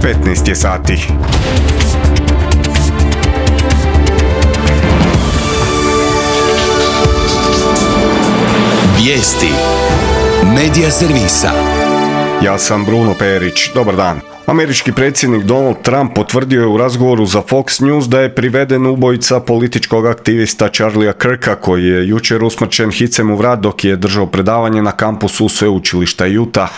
15 je sati. Vijesti Medija servisa. Ja sam Bruno Perić. Dobar dan. Američki predsjednik Donald Trump potvrdio je u razgovoru za Fox News da je priveden ubojica političkog aktivista Charliea Kirka, koji je jučer usmrćen hicem u vrat dok je držao predavanje na kampusu sveučilišta Utah.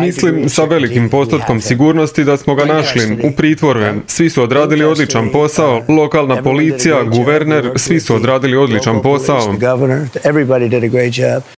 Mislim sa velikim postotkom sigurnosti da smo ga našli u pritvoru. Svi su odradili odličan posao, lokalna policija, guverner, svi su odradili odličan posao.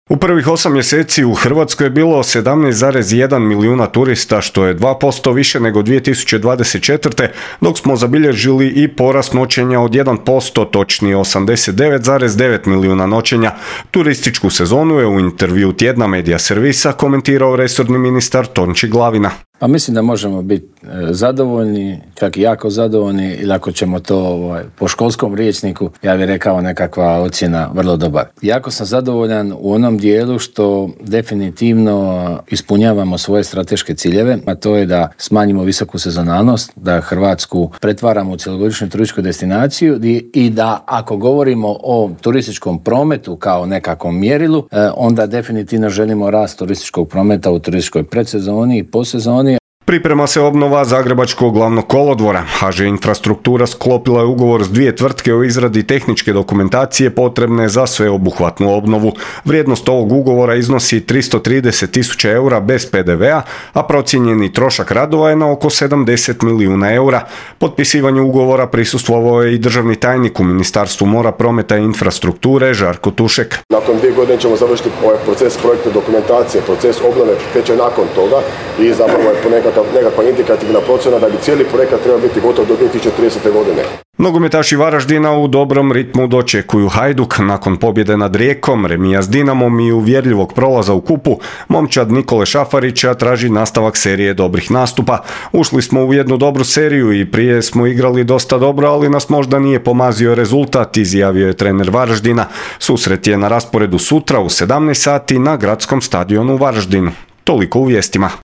U prvih 8 mjeseci u Hrvatskoj je bilo 17,1 milijuna turista, što je 2% više nego 2024. dok smo zabilježili i porast noćenja od 1%, točnije 89,9 milijuna noćenja. Turističku sezonu je u intervju Tjedna Medija servisa komentirao resorni ministar Tonči Glavina. Pa mislim da možemo biti zadovoljni, čak i jako zadovoljni, ili ako ćemo to po školskom rječniku, ja bih rekao nekakva ocjena vrlo dobar. Jako sam zadovoljan u onom dijelu što definitivno ispunjavamo svoje strateške ciljeve, a to je da smanjimo visoku sezonalnost, da Hrvatsku pretvaramo u cjelogodišnju turističku destinaciju i da ako govorimo o turističkom prometu kao nekakvom mjerilu, onda definitivno želimo rast turističkog prometa u turističkoj predsezoni i posezoni. Priprema se obnova Zagrebačkog glavnog kolodvora. HŽ Infrastruktura sklopila je ugovor s 2 tvrtke o izradi tehničke dokumentacije potrebne za sveobuhvatnu obnovu. Vrijednost ovog ugovora iznosi 330.000 eura bez PDV-a, a procijenjeni trošak radova je na oko 70 milijuna eura. Potpisivanju ugovora prisustvovao je i državni tajnik u Ministarstvu mora, prometa i infrastrukture Žarko Tušek. Nakon 2 godine ćemo završiti ovaj proces projektne dokumentacije, proces obnove teče nakon toga i zapravo je po nekakva indikativna procjena da bi cijeli projekat trebao biti gotov do 2030. godine. Nogometaši Varaždina u dobrom ritmu dočekuju Hajduk. Nakon pobjede nad Rijekom, remija s Dinamom i uvjerljivog prolaza u kupu, momčad Nikole Šafarića traži nastavak serije dobrih nastupa. Ušli smo u jednu dobru seriju i prije smo igrali dosta dobro, ali nas možda nije pomazio rezultat, izjavio je trener Varaždina. Susret je na rasporedu sutra u 17 sati na gradskom stadionu u Varaždinu. Toliko u vijestima.